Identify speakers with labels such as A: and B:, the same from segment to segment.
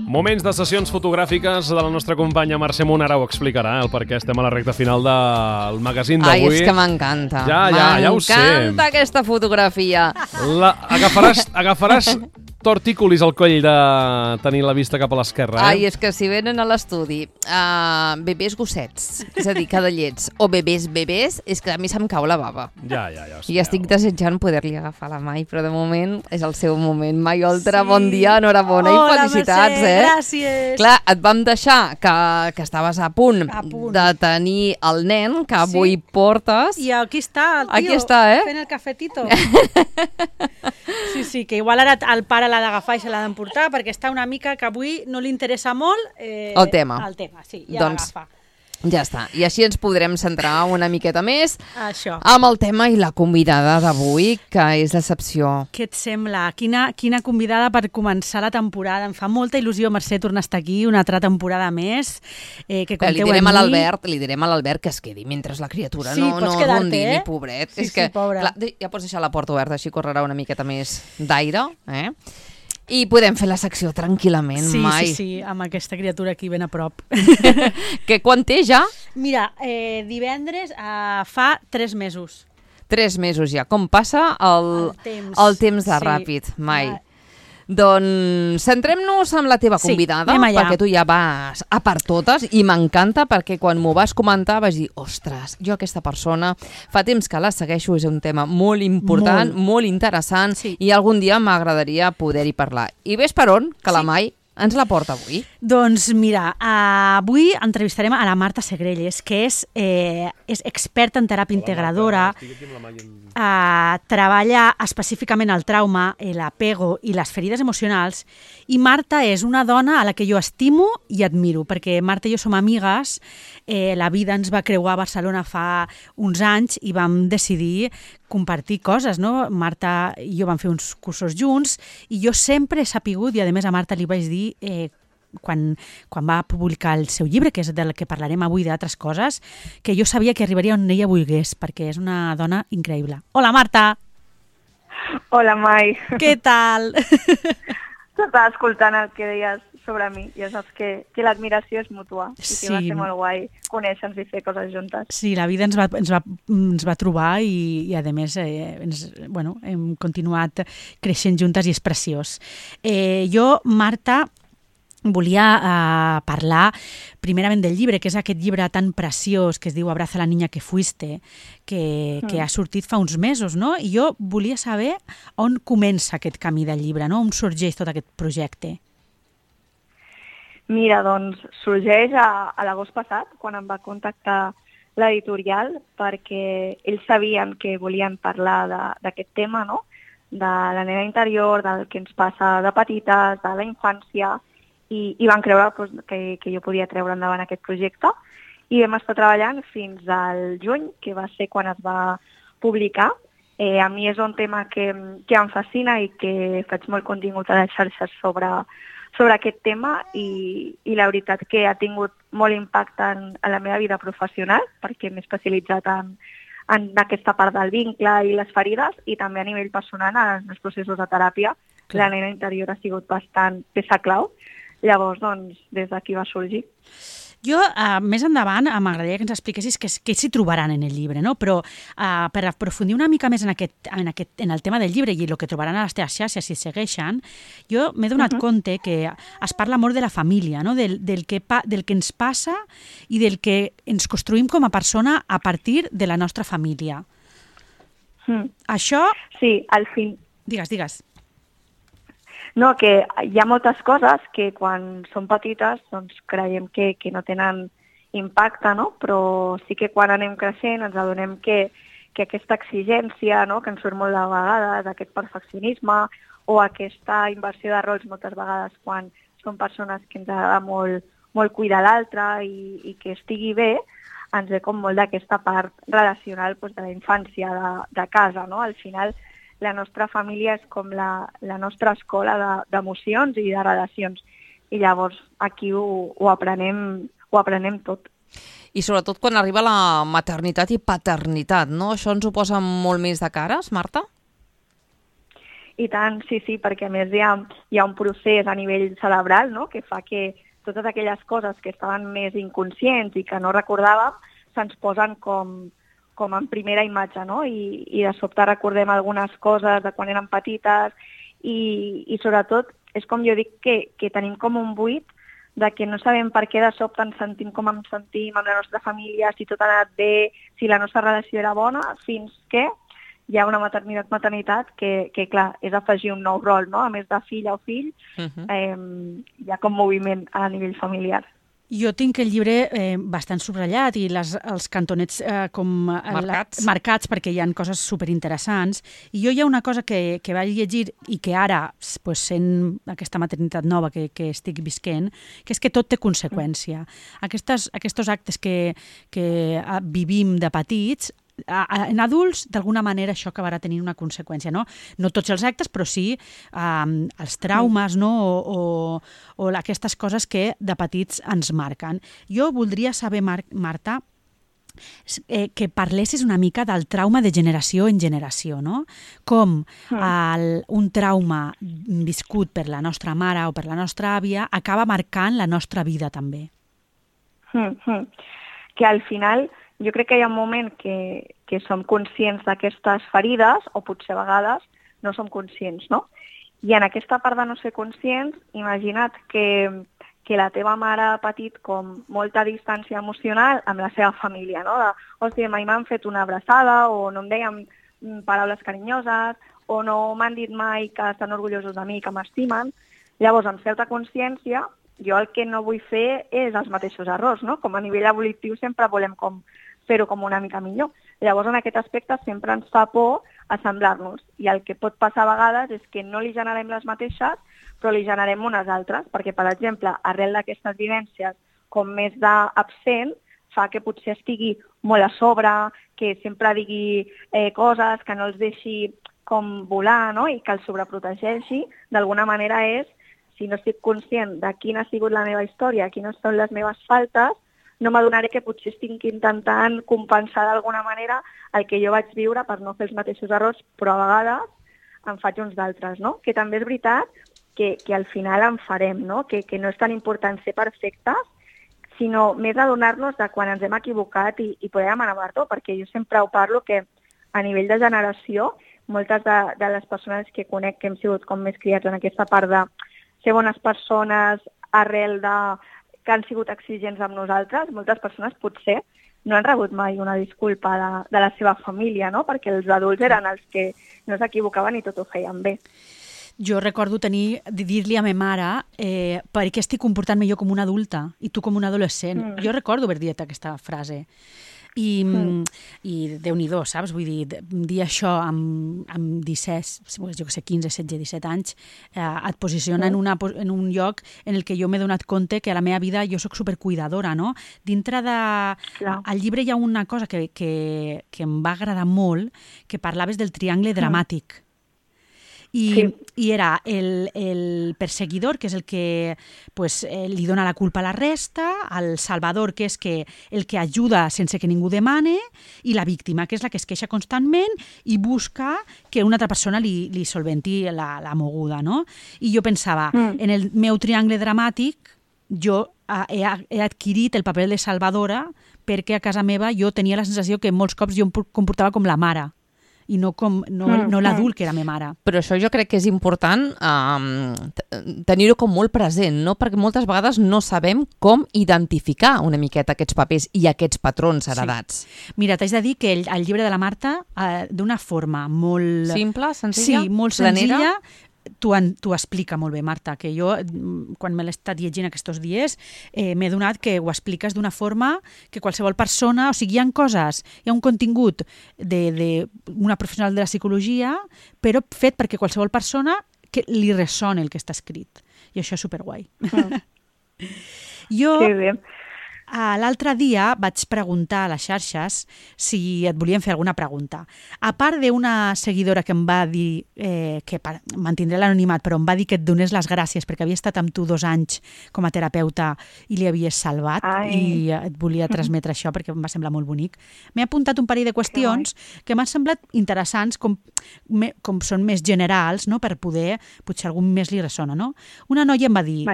A: Moments de sessions fotogràfiques de la nostra companya Mercè Munt, ara ho explicarà, el perquè estem a la recta final del magazín d'avui.
B: Ai, és que m'encanta.
A: Ja ho sé.
B: M'encanta aquesta fotografia.
A: Agafaràs tortícolis al coll de tenir la vista cap a l'esquerra,
B: Ai, és que si venen a l'estudi bebès gossets, és a dir, cadallets, o bebès, és que a mi se'm cau la bava.
A: Ja.
B: I estic desitjant poder-li agafar la Mai, però de moment és el seu moment. Mai Oltra, bon dia, enhorabona i felicitats,
C: Mercè, gràcies.
B: Clar, et vam deixar que estaves a punt de tenir el nen que avui portes.
C: I aquí està el tio,
B: aquí està,
C: fent el cafetito. Sí, que igual ara el pare l'ha d'agafar i se l'ha d'emportar perquè està una mica que avui no li interessa molt
B: el tema,
C: sí, ja l'agafa.
B: Ja està, i així ens podrem centrar una miqueta més
C: amb
B: el tema i la convidada d'avui, que és l'excepció.
C: Què et sembla? Quina convidada per començar la temporada. Em fa molta il·lusió, Mercè, tornar a estar aquí una altra temporada més. Que compteu
B: li direm a l'Albert que es quedi mentre la criatura no rondini, pobret.
C: Sí, pobra.
B: Clar, ja pots deixar la porta oberta, així correrà una miqueta més d'aire, i podem fer la secció tranquil·lament, Mai.
C: Sí, amb aquesta criatura aquí ben a prop.
B: Que quan té ja?
C: Mira, divendres fa 3 mesos.
B: 3 mesos ja. Com passa el temps de ràpid, Mai. Doncs centrem-nos en la teva convidada, perquè tu ja vas a per totes i m'encanta perquè quan m'ho vas comentar vaig dir, ostres, jo aquesta persona fa temps que la segueixo, és un tema molt important, molt interessant i algun dia m'agradaria poder-hi parlar. I ves per on, que la Mai ens la porta avui?
C: Doncs mira, avui entrevistarem a la Marta Segrelles, que és experta en teràpia integradora, treballa específicament el trauma, l'apego i les ferides emocionals, i Marta és una dona a la que jo estimo i admiro, perquè Marta i jo som amigues, la vida ens va creuar a Barcelona fa uns anys i vam decidir compartir coses, no? Marta i jo vam fer uns cursos junts i jo sempre he sapigut, i a més a Marta li vaig dir quan va publicar el seu llibre, que és del que parlarem avui d'altres coses, que jo sabia que arribaria on ella volgués, perquè és una dona increïble. Hola, Marta!
D: Hola, Mai!
C: Què tal?
D: T'estava escoltant el que deies sobre mi, ja saps que l'admiració és mútua i que va ser molt guai conèixer-nos i fer coses juntes.
C: Sí, la vida ens va trobar i a més hem continuat creixent juntes i és preciós. Jo, Marta, volia parlar primerament del llibre, que és aquest llibre tan preciós que es diu Abraza la niña que fuiste, que ha sortit fa uns mesos, no? I jo volia saber on comença aquest camí del llibre, no? On sorgeix tot aquest projecte?
D: Mira, doncs sorgeix a l'agost passat, quan em va contactar l'editorial, perquè ells sabien que volien parlar d'aquest tema, no? De la nena interior, del que ens passa de petites, de la infància, i van creure que jo podia treure endavant aquest projecte. I vam estar treballant fins al juny, que va ser quan es va publicar. A mi és un tema que em fascina i que faig molt contingut a les xarxes sobre aquest tema i la veritat que ha tingut molt impacte en la meva vida professional perquè m'he especialitzat en aquesta part del vincle i les ferides i també a nivell personal en els processos de teràpia. La nena interior ha sigut bastant peça clau. Llavors, doncs, des d'aquí va sorgir.
C: Jo, més endavant, m'agradaria que ens expliquessis què s'hi trobaran en el llibre, no? Però per aprofundir una mica més en el tema del llibre i el que trobaran a les teves xarxes si segueixen, jo m'he donat compte que es parla molt de la família, no? Del que ens passa i del que ens construïm com a persona a partir de la nostra família. Això...
D: Sí, al fin...
C: Digues.
D: No, que hi ha moltes coses que quan som petites doncs creiem que no tenen impacte, no? Però sí que quan anem creixent ens adonem que aquesta exigència, no? Que ens surt molt de vegades, aquest perfeccionisme o aquesta inversió de rols moltes vegades quan som persones que ens agrada molt cuidar l'altre i que estigui bé, ens ve com molt d'aquesta part relacional de la infància, de casa, no? Al final la nostra família és com la nostra escola d'emocions i de relacions. I llavors aquí ho aprenem tot.
B: I sobretot quan arriba la maternitat i paternitat, no? Això ens ho posa molt més de cares, Marta?
D: I tant, sí, perquè a més hi ha un procés a nivell cerebral, no?, que fa que totes aquelles coses que estaven més inconscients i que no recordàvem se'ns posen com en primera imatge, no? I de sobte recordem algunes coses de quan érem petites i sobretot és com jo dic que tenim com un buit de que no sabem per què de sobte ens sentim com ens sentim amb la nostra família, si tot ha anat bé, si la nostra relació era bona, fins que hi ha una maternitat que clar, és afegir un nou rol, no? A més de filla o fill, hi ha com moviment a nivell familiar.
C: Jo tinc el llibre bastant subratllat i els cantonets marcats perquè hi ha coses superinteressants. I jo hi ha una cosa que vaig llegir i que ara, pues, sent aquesta maternitat nova que estic visquent, que és que tot té conseqüència. Aquests actes que vivim de petits, en adults, d'alguna manera, això acabarà tenint una conseqüència, no? No tots els actes, però sí els traumes, no? O aquestes coses que de petits ens marquen. Jo voldria saber, Marta, que parlessis una mica del trauma de generació en generació, no? Com un trauma viscut per la nostra mare o per la nostra àvia acaba marcant la nostra vida també.
D: Que al final jo crec que hi ha un moment que som conscients d'aquestes ferides, o potser a vegades no som conscients, no? I en aquesta part de no ser conscients, imagina't que la teva mare ha patit com molta distància emocional amb la seva família, no? De, hòstia, mai m'han fet una abraçada, o no em deien paraules carinyoses, o no m'han dit mai que estan orgullosos de mi, que m'estimen. Llavors, amb certa consciència, jo el que no vull fer és els mateixos errors, no? Com a nivell evolutiu sempre volem fer-ho com una mica millor. Llavors, en aquest aspecte sempre ens fa por assemblar-nos. I el que pot passar a vegades és que no li generem les mateixes, però li generem unes altres, perquè, per exemple, arrel d'aquestes vivències com més d'absent, fa que potser estigui molt a sobre, que sempre digui coses, que no els deixi com volar, no? I que els sobreprotegeixi. D'alguna manera és, si no estic conscient de quina ha sigut la meva història, quines són les meves faltes, no m'adonaré que potser estic intentant compensar d'alguna manera el que jo vaig viure per no fer els mateixos errors, però a vegades en faig uns d'altres, no? Que també és veritat que al final en farem, no? Que no és tan important ser perfectes, sinó més adonar-nos de quan ens hem equivocat i poder demanar perdó, perquè jo sempre ho parlo que a nivell de generació, moltes de les persones que conec que hem sigut com més criats en aquesta part de ser bones persones arrel de que han sigut exigents amb nosaltres, moltes persones potser no han rebut mai una disculpa de la seva família, no? Perquè els adults eren els que no s'equivocaven i tot ho feien bé.
C: Jo recordo dir-li a ma mare per què estic comportant-me jo com una adulta i tu com un adolescent. Jo recordo haver dit aquesta frase. I Déu-n'hi-do, saps? Vull dir això amb 17, jo que sé, 15, 16, 17 anys, et posiciona en un lloc en el que jo m'he donat compte que a la meva vida jo sóc supercuidadora, no? Dintre al llibre hi ha una cosa que em va agradar molt, que parlaves del triangle dramàtic. I era el perseguidor, que és el que li dona la culpa a la resta, el salvador, que és el que ajuda sense que ningú demane, i la víctima, que és la que es queixa constantment i busca que una altra persona li solventi la moguda, no? I jo pensava, en el meu triangle dramàtic, jo he adquirit el paper de salvadora perquè a casa meva jo tenia la sensació que molts cops jo em comportava com la mare i no l'adult que era la meva mare.
B: Però això jo crec que és important tenir-ho com molt present, no? Perquè moltes vegades no sabem com identificar una miqueta aquests papers i aquests patrons heredats.
C: Sí. Mira, t'haig de dir que el llibre de la Marta, d'una forma molt...
B: Simple, senzilla?
C: Sí, molt senzilla. T'ho explica molt bé, Marta, que jo, quan me l'he estat llegint aquests dies, m'he donat que ho expliques d'una forma que qualsevol persona, o sigui, hi ha coses, hi ha un contingut d'una professional de la psicologia, però fet perquè qualsevol persona que li ressoni el que està escrit. I això és superguai.
D: Sí, bé.
C: L'altre dia vaig preguntar a les xarxes si et volien fer alguna pregunta. A part d'una seguidora que em va dir, que mantindré l'anonimat, però em va dir que et donés les gràcies perquè havia estat amb tu 2 anys com a terapeuta i li havies salvat i et volia transmetre això perquè em va semblar molt bonic. M'he apuntat un parell de qüestions que m'han semblat interessants, com són més generals, no? Per poder, potser algun més li ressona. No? Una noia em va dir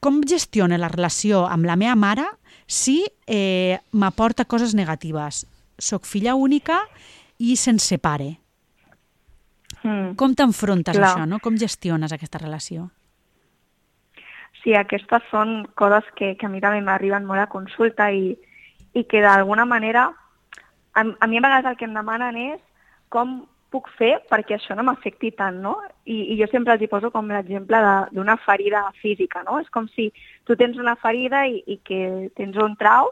C: com gestiona la relació amb la meva mare si m'aporta coses negatives. Soc filla única i sense pare. Com t'enfrontes a això? No? Com gestiones aquesta relació?
D: Sí, aquestes són coses que a mi també m'arriben molt a consulta i que d'alguna manera a mi a vegades el que em demanen és com puc fer perquè això no m'afecti tant, no? I jo sempre els hi poso com l'exemple d'una ferida física, no? És com si tu tens una ferida i que tens un trau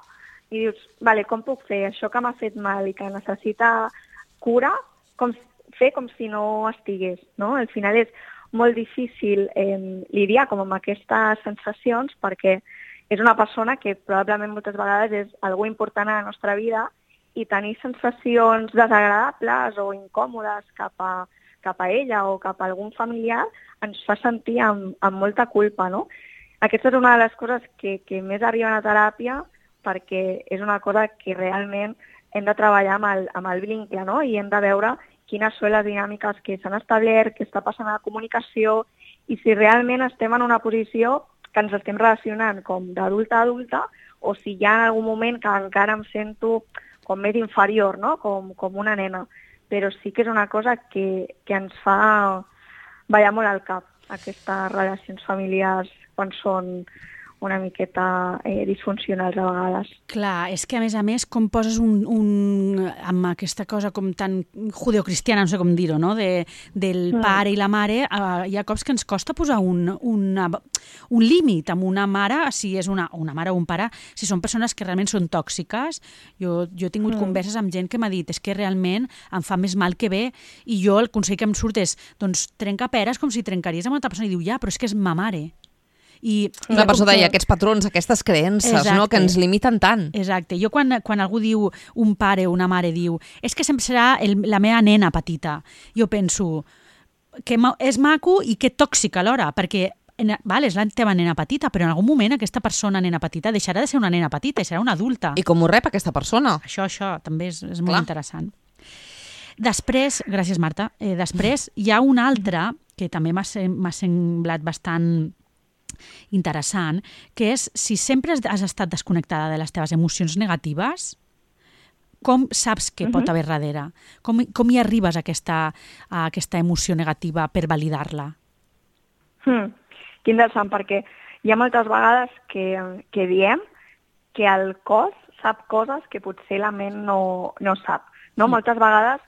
D: i dius, vale, com puc fer això que m'ha fet mal i que necessita cura, fer com si no estigués, no? Al final és molt difícil lidiar com amb aquestes sensacions perquè és una persona que probablement moltes vegades és algú important a la nostra vida i tenir sensacions desagradables o incòmodes cap a ella o cap a algun familiar ens fa sentir amb molta culpa, no? Aquesta és una de les coses que més arriben a teràpia perquè és una cosa que realment hem de treballar amb el vincle, no? I hem de veure quines són les dinàmiques que s'han establert, què està passant a la comunicació i si realment estem en una posició que ens estem relacionant com d'adulta a adulta o si hi ha algun moment que encara em sento com més inferior, no? Com una nena. Però sí que és una cosa que ens fa ballar molt al cap, aquestes relacions familiars quan són una miqueta disfuncionals a vegades.
C: Clar, és que a més com poses amb aquesta cosa com tan judeocristiana, no sé com dir-ho, no? Del pare i la mare, hi ha cops que ens costa posar un límit amb una mare, si és una mare o un pare, si són persones que realment són tòxiques. Jo he tingut converses amb gent que m'ha dit és que realment em fa més mal que bé i jo el consell que em surt és doncs trenca peres com si trencaries amb una altra persona i diu ja, però és que és ma mare.
B: Una persona deia aquests patrons, aquestes creences, no? Que ens limiten tant.
C: Exacte. Jo quan algú diu, un pare o una mare diu és que sempre serà la meva nena petita, jo penso que és maco i que tòxica alhora, perquè és la teva nena petita, però en algun moment aquesta persona, nena petita, deixarà de ser una nena petita i serà una adulta.
B: I com ho rep aquesta persona?
C: Això també és molt interessant. Després, gràcies Marta, després hi ha una altra que també m'ha semblat bastant interessant, que és si sempre has estat desconnectada de les teves emocions negatives, com saps què pot haver darrere? Com hi arribes a aquesta emoció negativa per validar-la?
D: Que interessant, perquè hi ha moltes vegades que diem que el cos sap coses que potser la ment no sap. No? Moltes vegades,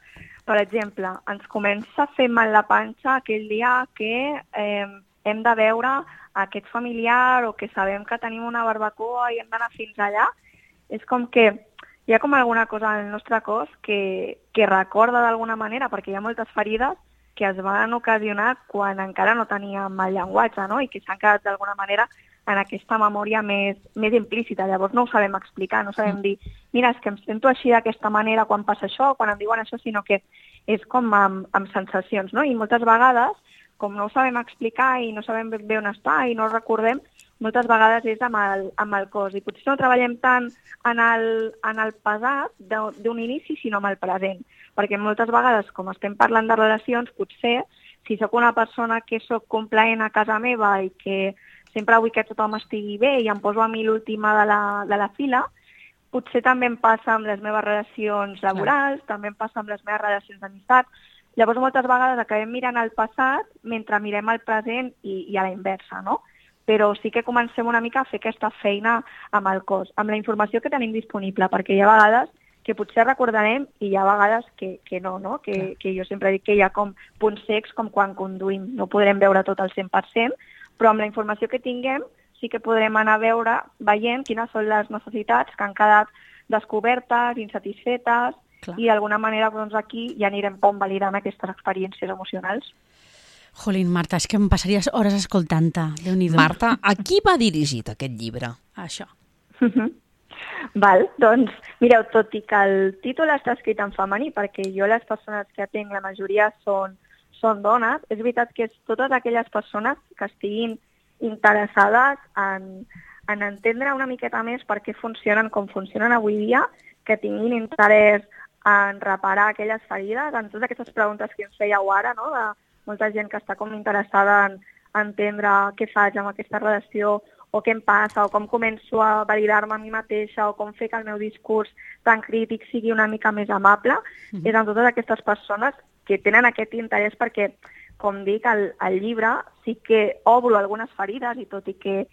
D: per exemple, ens comença a fer mal la panxa aquell dia que hem de veure aquest familiar o que sabem que tenim una barbacoa i hem d'anar fins allà. És com que hi ha com alguna cosa en el nostre cos que recorda d'alguna manera, perquè hi ha moltes ferides que es van ocasionar quan encara no teníem el llenguatge, no? I que s'han quedat d'alguna manera en aquesta memòria més implícita. Llavors no ho sabem explicar, no sabem dir mira, és que em sento així d'aquesta manera quan passa això, quan em diuen això, sinó que és com amb sensacions, no? I moltes vegades com no ho sabem explicar i no sabem ben bé on està i no ho recordem, moltes vegades és amb el cos. I potser no treballem tant en el passat d'un inici, sinó amb el present. Perquè moltes vegades, com estem parlant de relacions, potser, si sóc una persona que sóc complaent a casa meva i que sempre vull que tothom estigui bé i em poso a mi l'última de la fila, potser també em passa amb les meves relacions laborals, també em passa amb les meves relacions d'amistat. Llavors, moltes vegades acabem mirant el passat mentre mirem el present i a la inversa, no? Però sí que comencem una mica a fer aquesta feina amb el cos, amb la informació que tenim disponible, perquè hi ha vegades que potser recordarem i hi ha vegades que no, no? Que jo sempre dic que hi ha com punts cecs com quan conduïm. No podrem veure tot al 100%, però amb la informació que tinguem sí que podrem anar veient quines són les necessitats que han quedat descobertes, insatisfetes, i d'alguna manera doncs, aquí ja anirem validant aquestes experiències emocionals.
C: Jolín, Marta, és que em passaries hores escoltant-te. Déu-n'hi-do.
B: Marta, a qui va dirigit aquest llibre?
C: això.
D: Val, doncs, mireu, tot i que el títol està escrit en femení, perquè jo les persones que atenc, la majoria són dones, és veritat que és totes aquelles persones que estiguin interessades en entendre una miqueta més per què funcionen com funcionen avui dia, que tinguin interès en reparar aquelles ferides, en totes aquestes preguntes que ens fèieu ara, no? De molta gent que està com interessada en entendre què faig amb aquesta relació, o què em passa, o com començo a validar-me a mi mateixa, o com fer que el meu discurs tan crític sigui una mica més amable, és en totes aquestes persones que tenen aquest interès perquè, com dic, al llibre sí que obro algunes ferides i tot i que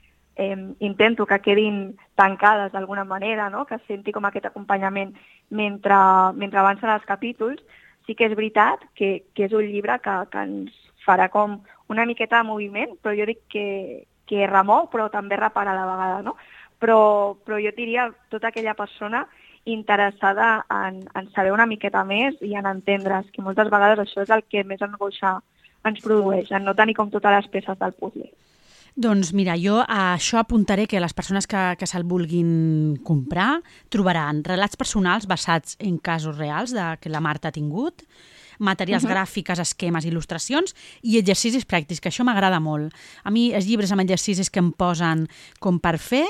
D: intento que quedin tancades d'alguna manera, no? Que senti com aquest acompanyament mentre avancen els capítols, sí que és veritat que és un llibre que ens farà com una miqueta de moviment, però jo dic que remou, però també repara a la vegada, no? Però jo diria tota aquella persona interessada en saber una miqueta més i en entendre's, que moltes vegades això és el que més angoixa ens produeix, en no tenir com totes les peces del puzzle.
C: Doncs mira, jo a això apuntaré que les persones que se'l vulguin comprar trobaran relats personals basats en casos reals que la Marta ha tingut, materials gràfiques, esquemes, il·lustracions i exercicis pràctics, que això m'agrada molt. A mi els llibres amb exercicis que em posen com per fer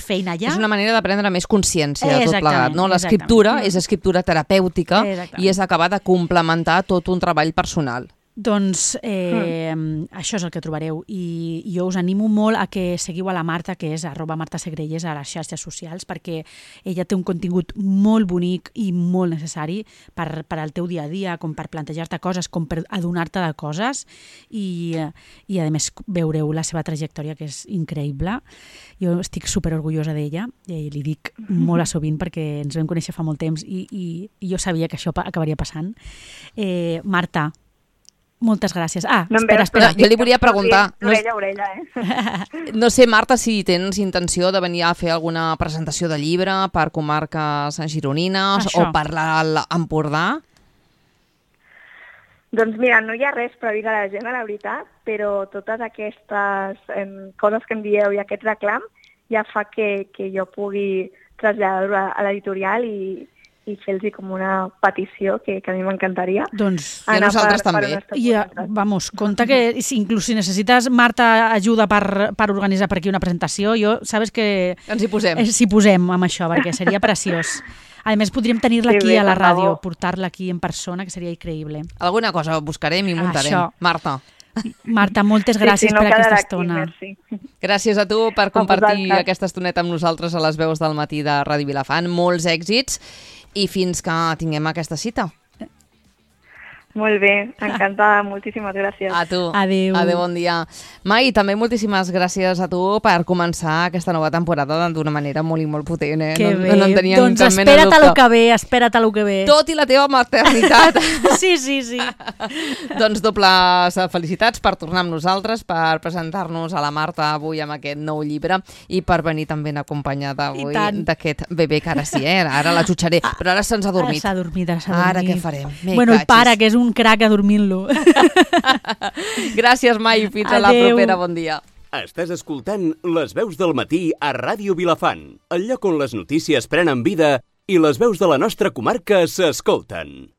C: feina ja.
B: És una manera de prendre més consciència de tot plegat, no? L'escriptura és escriptura terapèutica i és acabar de complementar tot un treball personal.
C: Doncs això és el que trobareu i jo us animo molt a que seguiu a la Marta, que és @martasegrelles a les xarxes socials, perquè ella té un contingut molt bonic i molt necessari per al teu dia a dia, com per plantejar-te coses, com per adonar-te de coses i a més veureu la seva trajectòria, que és increïble. Jo estic superorgullosa d'ella i li dic molt a sovint perquè ens vam conèixer fa molt temps i jo sabia que això acabaria passant. Marta, moltes gràcies. Espera.
B: Jo li volia preguntar...
D: Orella,
B: No sé, Marta, si tens intenció de venir a fer alguna presentació de llibre per comarques gironines o per l'Empordà?
D: Doncs mira, no hi ha res previst a l'agenda, la veritat, però totes aquestes coses que em dieu i aquest reclam ja fa que jo pugui traslladar-ho a l'editorial i fer-los com una petició que a mi m'encantaria.
C: Doncs
B: a nosaltres també.
C: Vamos, compte que inclús si necessites, Marta, ajuda per organitzar per aquí una presentació, sabes que...
B: Ens hi posem.
C: Ens hi posem amb això, perquè seria preciós. A més, podríem tenir-la aquí a la ràdio, portar-la aquí en persona, que seria increïble.
B: Alguna cosa buscarem i muntarem. Marta,
C: moltes gràcies per aquesta estona.
B: Gràcies a tu per compartir aquesta estoneta amb nosaltres a les veus del matí de Ràdio Vilafant. Molts èxits i fins que tinguem aquesta cita.
D: Molt bé, encantada, moltíssimes gràcies.
B: A tu.
C: Adéu.
B: Adéu, bon dia. Mai, també moltíssimes gràcies a tu per començar aquesta nova temporada d'una manera molt i molt potent.
C: Que bé.
B: No en tenia
C: doncs
B: cap mena de dubte.
C: Espera't a lo que ve.
B: Tot i la teva maternitat.
C: Sí.
B: Doncs dobles felicitats per tornar amb nosaltres, per presentar-nos a la Marta avui amb aquest nou llibre i per venir també acompanyada avui d'aquest bebè que ara sí, ara la jutjaré, però ara se'ns ha dormit.
C: S'ha dormit.
B: Ara què farem?
C: Bueno, el pare, que és un crac adormint-lo.
B: Gràcies, Mai. Fins a la propera. Bon dia.
E: Estàs escoltant Les veus del matí a Ràdio Vilafant, el lloc on les notícies prenen vida i les veus de la nostra comarca s'escolten.